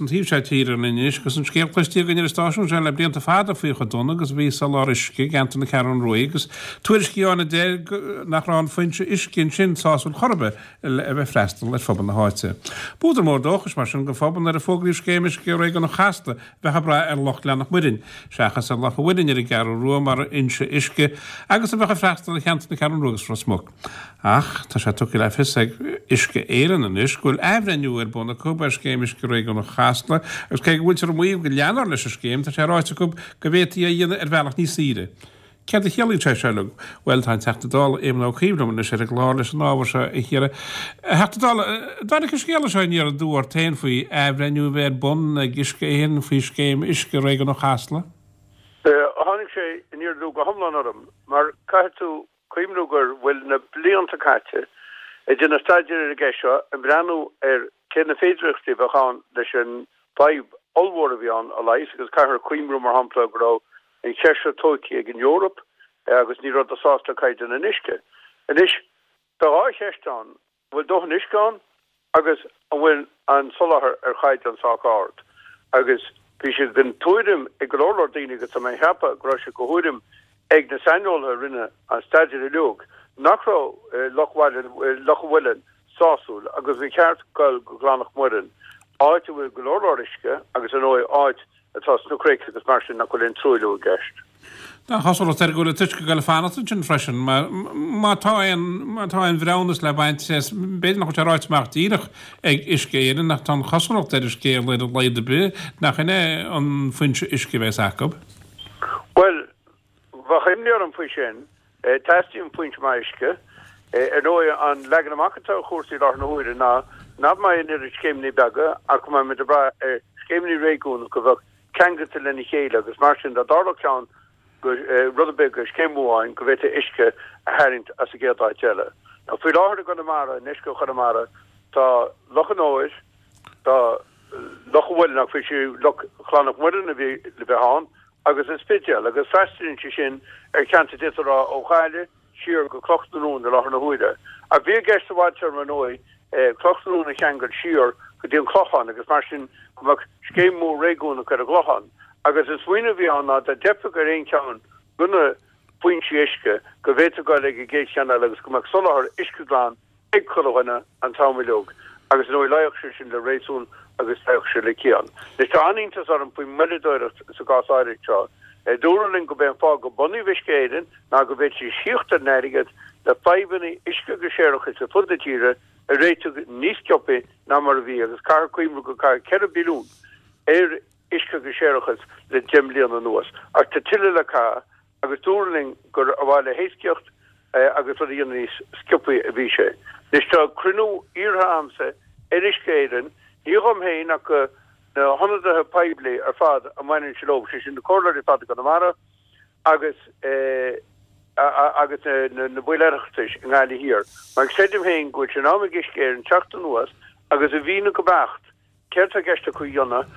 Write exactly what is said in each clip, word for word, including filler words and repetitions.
An taobh seo tíre anois agus an scéal cloiste againn ar an stáisiún seo le blianta fada faoi chomh dona agus a bhí soláthar uisce i gceantar na Ceathrún Rua agus tuairiscí ann a deir nach raibh an foinse uisce ansin sásúil chor ar bith le a bheith freastal ar phobal na háite. B'údar mór dóchais mar sin don phobal nuair a fógraíodh scéim uisce réigiúnach Chasla a bheadh ag brath ar Loch Ghleann Mhuirinn seachas ar Loch an Mhuilinn ar an gCeathrú Rua mar fhoinse uisce agus a bheadh ag freastal ar cheantar na Ceathrún Rua agus Ros Muc. Ach tá sé tugtha le fios ag Uisce Éireann anois go bhfuil athbhreithniú ar bun acu ar scéim uisce réigiúnach Chasla agus cé go bhfuiltear ag maíomh go leanfar leis an scéim, tá sé ráite acu go bhféadfaí é a dhéanamh ar bhealach níos saoire. Céard a chiallaíonn sé seo uilig? Bhuel, tá an Teachta Dála Éamon Ó Cuív liom anois ar an gclár leis an ábhar seo a chíoradh. A Theachta Dála, an dtáinig an scéala seo aniar aduaidh ort féin faoi athbhreithniú a bheith ar bun ag Uisce Éireann faoi scéim uisce réigiúnach Chasla? Tháinig sé aniar aduaidh go hiomlán orm mar caithfidh tú cuimhniú go bhfuil na blianta caite ag déanamh staidéir ar an gceist seo, ag breathnú ar cé na féidearthachtaí a bheadh ann leis an bhfadhb ollmhór a bhí ann a leigheas agus caithfear cuimhniú, mar shampla, go raibh an cheist seo tógtha ag an Eoraip agus ní rabhadar sásta le caighdeán an uisce. Anois, tá dhá cheist ann, an bhfuil dóthain uisce ann agus an bhfuil an soláthar ar chaighdeán sách ard? Agus bhí sé den tuairim ag go leor leor daoine, agus tá mé ag ceapadh go raibh sé de thuairim ag na saineolaithe a rinne an staidéar uilig, nach raibh Loch Loch an Mhuilinn sásúil agus gur cheart dul go Gleann Mhuireann, áit a bhfuil go leor leor uisce agus ar ndóigh áit atá sna cnoic agus mar sin nach bhfuil aon truailliú i gceist. Tá an chosúlacht air go bhfuil an t-uisce ag dul a fanacht ansin freisin. Má tá aon má tá aon bhreithiúnas le baint as, b'fhéidir nach bhfuil sé ráite amach díreach ag Uisce Éireann ach tá an chosúlacht ar an scéal ar a laghad ar bith nach in é an foinse uisce a bheas acu. Bhuel, bheadh imní orm faoi sin. Teastaíonn foinse maith uisce. Ar ndóigh, an leagan amach atá ar chúrsaí i láthair na huaire ná nach mbeidh an oiread scéimeanna beaga ach go mbeidh muid ag brath ar scéimeanna réigiúnacha a bheadh ceangailte lena chéile agus mar sin dá dtarlódh ceann go rud ar bith go scéim amháin go bhféadfaí uisce a tharraingt as an gcéad áit eile. Now faoi láthair i gConamara, i ndeisceart Chonamara, tá Loch an Óir, tá Loch an Mhuilinn ach bhí sé Loch Ghleann Mhuireann a bhí le bheith ann agus an Spidéal agus freastalaíonn sé sin ar cheantar d'fhéadfá a rá ó Ghaillimh siar go Cloch na Rón i láthair na huaire. Ach bhí i gceist sa bhfadtéarma ar ndóigh Cloch na Rón a cheangal siar go dtí an Clochán agus mar sin go mbeadh scéim mhór réigiúnach ar an gClochán. Agus an smaoineamh a bhí ann ná dá dteipfeadh ar aon cheann de na foinsí uisce go bhféadfaí dul ag an gcéad cheann eile agus go mbeadh soláthar uisce glan ag chuile dhuine an t-am uilig. Agus ar ndóigh luífeadh sé sin le réasún agus luífeadh sé le ciall. Anois tá an-iontas orm faoin moilleadóireacht sa gcás áirithe seo. Dúradh linn gurb é an fáth gur bunaíodh Uisce Éireann ná go bhféadfaidís thíocht ar an airgead le fadhbanna uisce agus séarachais ar fud na tíre a réiteach níos sciobtha ná mar a bhí agus caithfear cuimhneamh gur caitheadh ceithre billiún ar uisce agus séarachas le deich mbliana anuas. Ach tá tuilleadh le caitheamh agus dúradh linn gur ar mhaithe le héascaíocht agus rud a dhéanamh níos sciobtha a bhí sé. Anois tá cruinniú iarrtha a'msa ar Uisce Éireann, ní dhom féin ach do na hionadaithe poiblí ar fad a mbaineann sé leo, sé sin na comhairleoirí ar fad i gConamara agus agus na baill Oireachtais i nGaillimh Thiar, mar creidim féin go bhfuil sé in am ag Uisce Éireann teacht anuas agus a mhíniú go beacht céard atá i gceist acu a dhéanamh,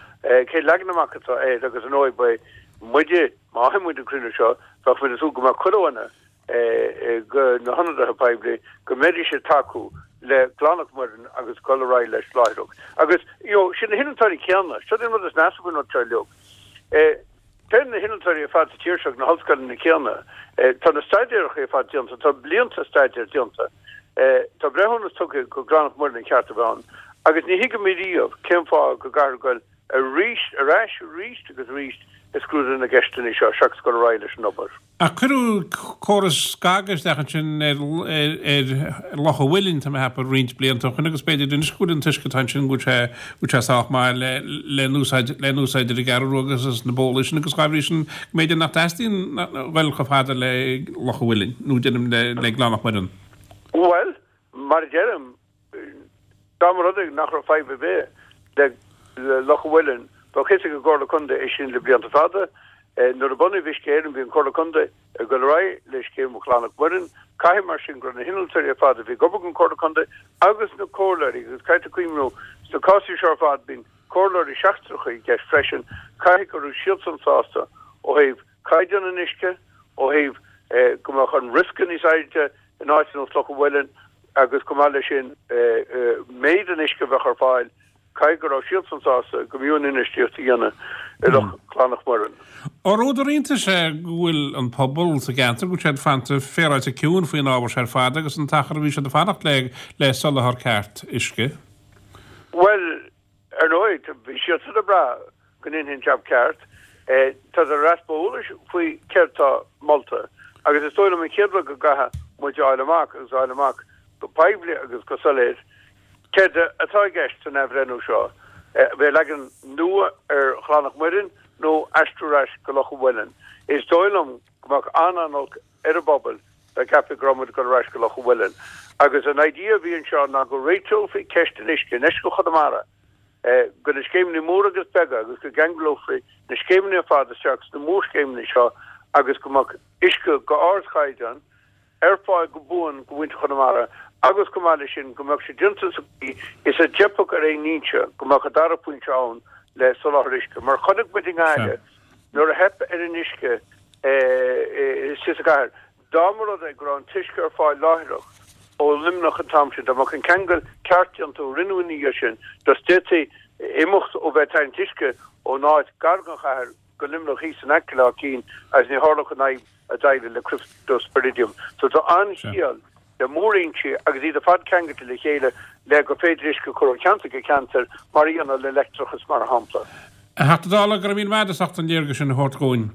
cén leagan amach atá air agus ar ndóigh beidh muide, má fhaigheann muid an cruinniú seo, bheadh muid ag súil go mbeadh chuile dhuine de na hionadaithe poiblí, go mbeidís ag tacú le Gleann Mhuireann agus dul ar aghaidh leis láithreach. Agus, you know, sin na hinnealtóirí céanna, seo an rud is measa faoin rud seo uilig. Téann na hinnealtóirí ar fad sa tír seo ag na hollscoileanna céanna. Tá na staidéaracha ar fad déanta, tá blianta staidéir déanta. Tá breithiúnas tugtha gur Gleann Mhuireann an ceart a bheith ann. Agus ní thuigim riamh cén fáth go gcaithfear goil arís, ar ais arís agus arís ag scrúdú na gceisteanna seo seachas dul ar aghaidh leis an obair. Ach cuireadh córas scagadh isteach ansin ar ar Loch an Mhuilinn, tá mé ag ceapadh, roinnt blianta ó shin agus b'fhéidir anois go bhfuil an t-uisce atá ansin go bhfuil sé go bhfuil sé sách maith le le n-úsáid le n-úsáid ar an gCeathrú Rua agus sna bólaí sin agus dá bhrí sin go mb'fhéidir nach dteastaíonn a dhul chomh fada le Loch an Mhuilinn nó deirim le le Gleann Mhuireann. Bhuel, mar a deirim, Dá mba rud é nach raibh fadhb ar bith le Loch an Mhuilinn, bheadh fhios ag an gComhairle Contae é sin le blianta fada. Nuair a bunaíodh Uisce Éireann bhí an Chomhairle Contae ag dul ar aghaidh le scéim Ghleann Mhuireann. Caithfidh mar sin go raibh na hinnealtóirí ar fad a bhí ag obair don Chomhairle Contae agus na comhairleoirí, agus caithfidh tú cuimhniú, sna cásanna seo ar fad bíonn comhairleoirí seachtracha i gceist freisin, caithfidh go raibh siadsan sásta ó thaobh caighdeán an uisce, ó thaobh go mbeadh an riosca níos airde in áit ar nós Loch an Mhuilinn agus chomh maith leis sin méid an uisce a bheadh ar fáil Caithfidh go raibh siadsan sásta go mb'fhiú an infheistíocht a dhéanamh i Loch Chlannach Muireann. Ar údar iontais é go bhfuil an pobal sa gceantar, go bhfuil siad fanta féaráilte ciúin faoin ábhar seo ar fad agus an t-achar a bhí siad ag fanacht le le soláthar ceart uisce? Bhuel, ar ndóigh, bhí siadsan ag brath go ndéanfaí an jab ceart. Tá ar easpa eolais faoi céard tá molta agus is dóigh liom an chéad rud go gcaithfidh muid a fháil amach agus a fháil amach go poiblí agus go soiléir céard atá i gceist san athbhreithniú seo, bheith leagan nua ar Chlannach Muireann nó aistriú ar ais go Loch an Mhuilinn. Is dóigh liom go mbeadh an-an-olc ar an bpobal dá gceapfaí go raibh muid ag dul ar ais go Loch an Mhuilinn. Agus an idea a bhí anseo ná go réiteofaí ceist an uisce in uisce Chonamara go na scéimeanna móra agus beaga agus go gceanglófaí na scéimeanna ar fad isteach sna mórscéimeanna seo agus go mbeadh uisce go ardchaighdeán ar fáil go buan go mhuintir Chonamara agus chomh maith leis sin go mbeadh sé déanta sa chaoi is a dteipfeadh ar aon fhoinse go mbeadh an dara pointe ann le soláthar uisce. Mar chonaic muid i nGaillimh nuair a theip ar an uisce sa gcathair, dá mba rud é go raibh an t-uisce ar fáil láithreach ó Luimneach an t-am sin, dá mbeadh an ceangal ceart déanta ó rinneadh ina dhiaidh sin, just d'fhéadfaí imeacht ó bheith ag tarraingt uisce ón áit gar don chathair go Luimneach thíos in aice le Áth Cinn agus ní tharlódh an fhadhb a d'éirigh le Cryptosporidium. So tá an-chiall le mórfhoinsí agus iad ar fad ceangailte le chéile le gur féidir uisce a chur ó cheantar go ceantar mar a dhéanamh le leictreachas mar shampla. A Theachta Dála, go raibh míle maith agat as ucht an léargas sin a thabhairt dhúinn.